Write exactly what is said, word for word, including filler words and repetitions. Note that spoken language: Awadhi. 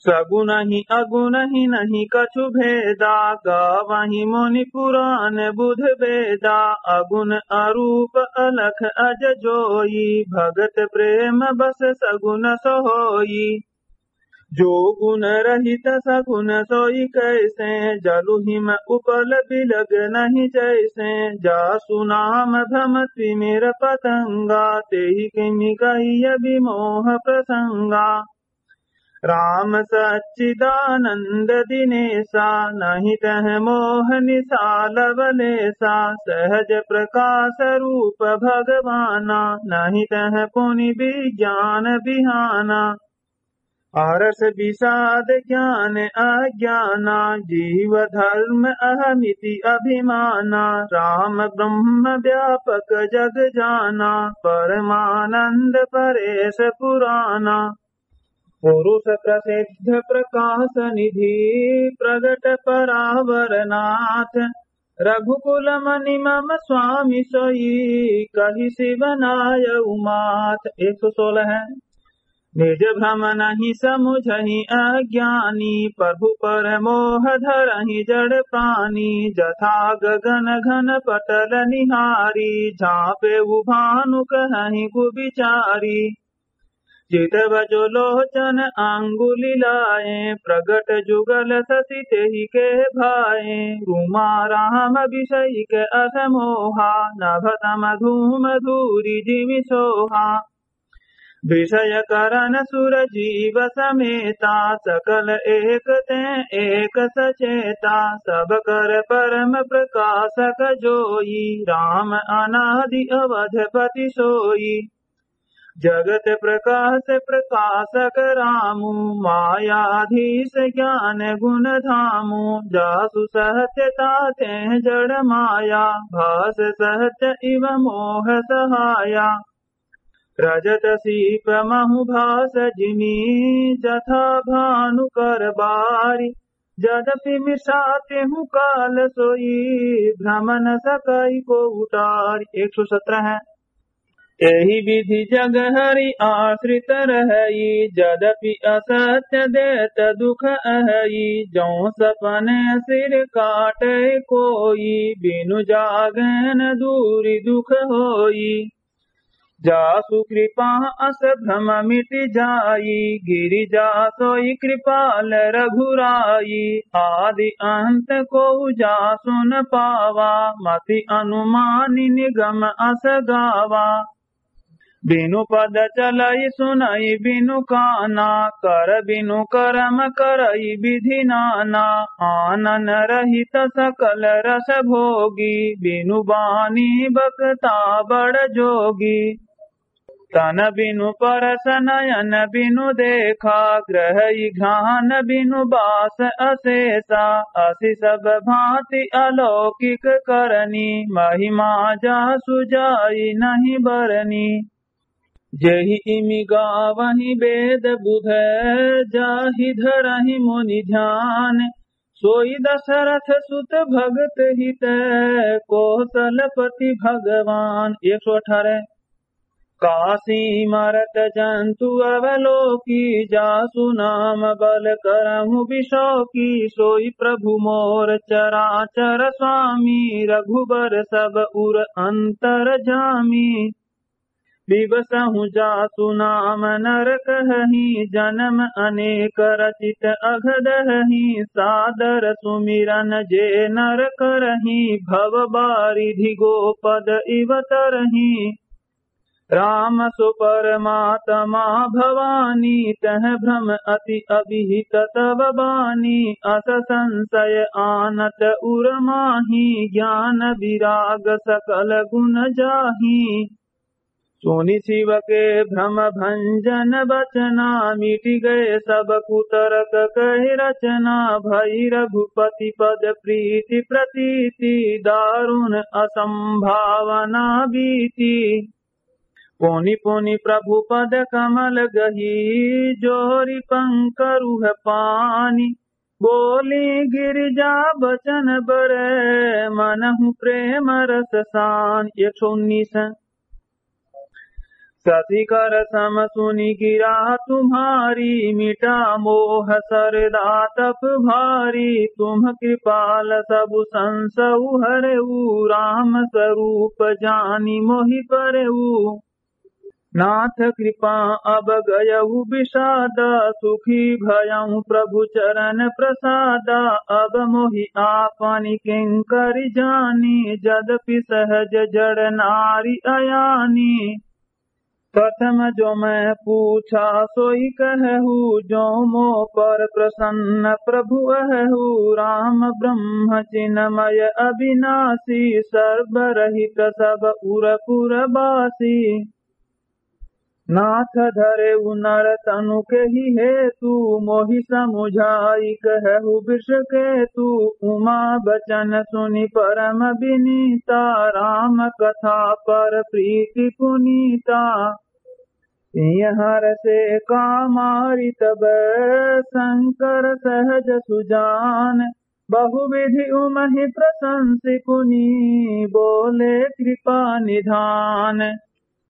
सगुन ही अगुन ही नहीं कछु भेदा, गावहि मुनि पुरान बुध वेदा। अगुन अरूप अलख अज जोई, भगत प्रेम बस सगुन सोई। जो गुन रहित सगुन सोई कैसे, जलु हिम उपल बिलग नहीं जैसे। जासु नाम भ्रम तिमिर पतंगा, तेहि किमि कहिय विमोह प्रसंगा। राम सच्चिदानंद दिनेसा, नहीं तह मोह निसा लवलेसा। सहज प्रकाश रूप भगवाना, नहीं तह पुनि विज्ञान बिहाना। आरस विषाद ज्ञान अज्ञाना, जीव धर्म अहमिति अभिमाना। राम ब्रह्म व्यापक जग जाना, परमानंद परेश पुराना। पुरुष प्रसिद्ध प्रकाश निधि, प्रगट परावर नाथ। रघुकुल मनि मम स्वामी सोई, कहि शिव नायउ माथ। एक सौ सोलह है। निज भ्रम नहीं समुझहि अज्ञानी, प्रभु पर मोह धरहि जड़ प्राणी। जथा गगन घन पटल निहारी, झाँपेउ भानु कहहि कुबिचारी। चितव जो लोचन अंगुलि लाए, प्रगट जुगल शशि तेहि के भाए। रूमा राम बिसहिके अस मोहा, नभ तम धूम धूरि जिमि सोहा। विषय करण सुर जीव समेता, सकल एक तें एक सचेता। सब कर परम प्रकाशक जोई, राम अनादि अवधपति सोई। जगत प्रकाश प्रकाशक रामु, मायाधीश ज्ञान गुण धामु। जासु सत्य तातें जड़ माया, भास सत्य इव मोह सहाया। रजत सीप महु भास जिमि, जथा भानु कर बारि। जदपि मिसा तेहु काल सोई, भ्रम न सकइ कोउ टारि। एक सौ सत्रह है। एहि विधि जग हरि आश्रित रहइ, जदपि असत्य देत दुख अहइ। जौं सपने सिर काटइ कोई, बिनु जागेन दूरि दुख होई। जासु कृपा अस भ्रम मिटि जाई, गिरि जा सोई कृपाल रघुराई। आदि अंत कोउ जासु न पावा, मति अनुमानि निगम अस गावा। बिनु पद चलइ सुनइ बिनु काना, कर बिनु करम करइ विधि नाना। आनन रहित सकल रस भोगी, बिनु बानी बकता बड़ जोगी। तन बिनु परस नयन बिनु देखा, ग्रहइ घ्राण बिनु बास अशेषा। असि सब भाँति अलौकिक करनी, महिमा जासु जाइ नहीं बरनी। जेहि इमि गावहिं वेद बुध, जाहि धरहिं मुनि ध्यान। सोई दशरथ सुत भगत हित, कोसलपति भगवान। एक सौ अठारह। कासी मरत जंतु अवलोकी, जासु नाम बल करहु बिसोकी। सोई प्रभु मोर चराचर स्वामी, रघुबर सब उर अंतरजामी। बिबसहु जासु नाम नर कहहिं, जनम अनेक रचित अघ दहहिं। सादर सुमिरन जे नर करहिं, भव बारिधि गोपद इव तरहिं। राम सो परमात्मा भवानी, तह भ्रम अति अभिहित तव बानी। अस संसय आनत उर माही, ज्ञान विराग सकल गुण जाही। सुनि शिव के भ्रम भंजन बचना, मिटि गए सब कुतर्क कहि रचना। भई रघुपति पद प्रीति प्रतीति, दारुण असंभावना बीती। पुनि पुनि प्रभु पद कमल गही, जोरि पंकरुह पानी। बोली गिरिजा बचन बरे, मनहु प्रेम रस सान। एक सौ उन्नीस। शशिकर सम सुनि गिरा तुम्हारी, मिटा मोह सरदा तप भारी। तुम कृपाल सबु संसउ हरऊ, राम सरूप जानि मोहि परऊ। नाथ कृपा अब गयउ बिसादा, सुखी भयउ प्रभु चरन प्रसादा। अब मोहि आपनि किंकरि जानी, जदपि सहज जड़ नारि अयानी। प्रथम जो मैं पूछा सोइ कहहु, जो मो पर प्रसन्न प्रभु अहहु। राम ब्रह्म चिन्मय अबिनासी, सर्ब रहित सब उर पुर बासी। नाथ धरेउ नर तनु केहि हेतु, मोहि समुझाइ कहहु वृषकेतु। उमा बचन सुनि परम बिनीता, राम कथा पर प्रीति पुनीता। सिंह हरषे कामारि तब संकर सहज सुजान, बहुविधि उमहि प्रशंसि पुनि बोले कृपा निधान।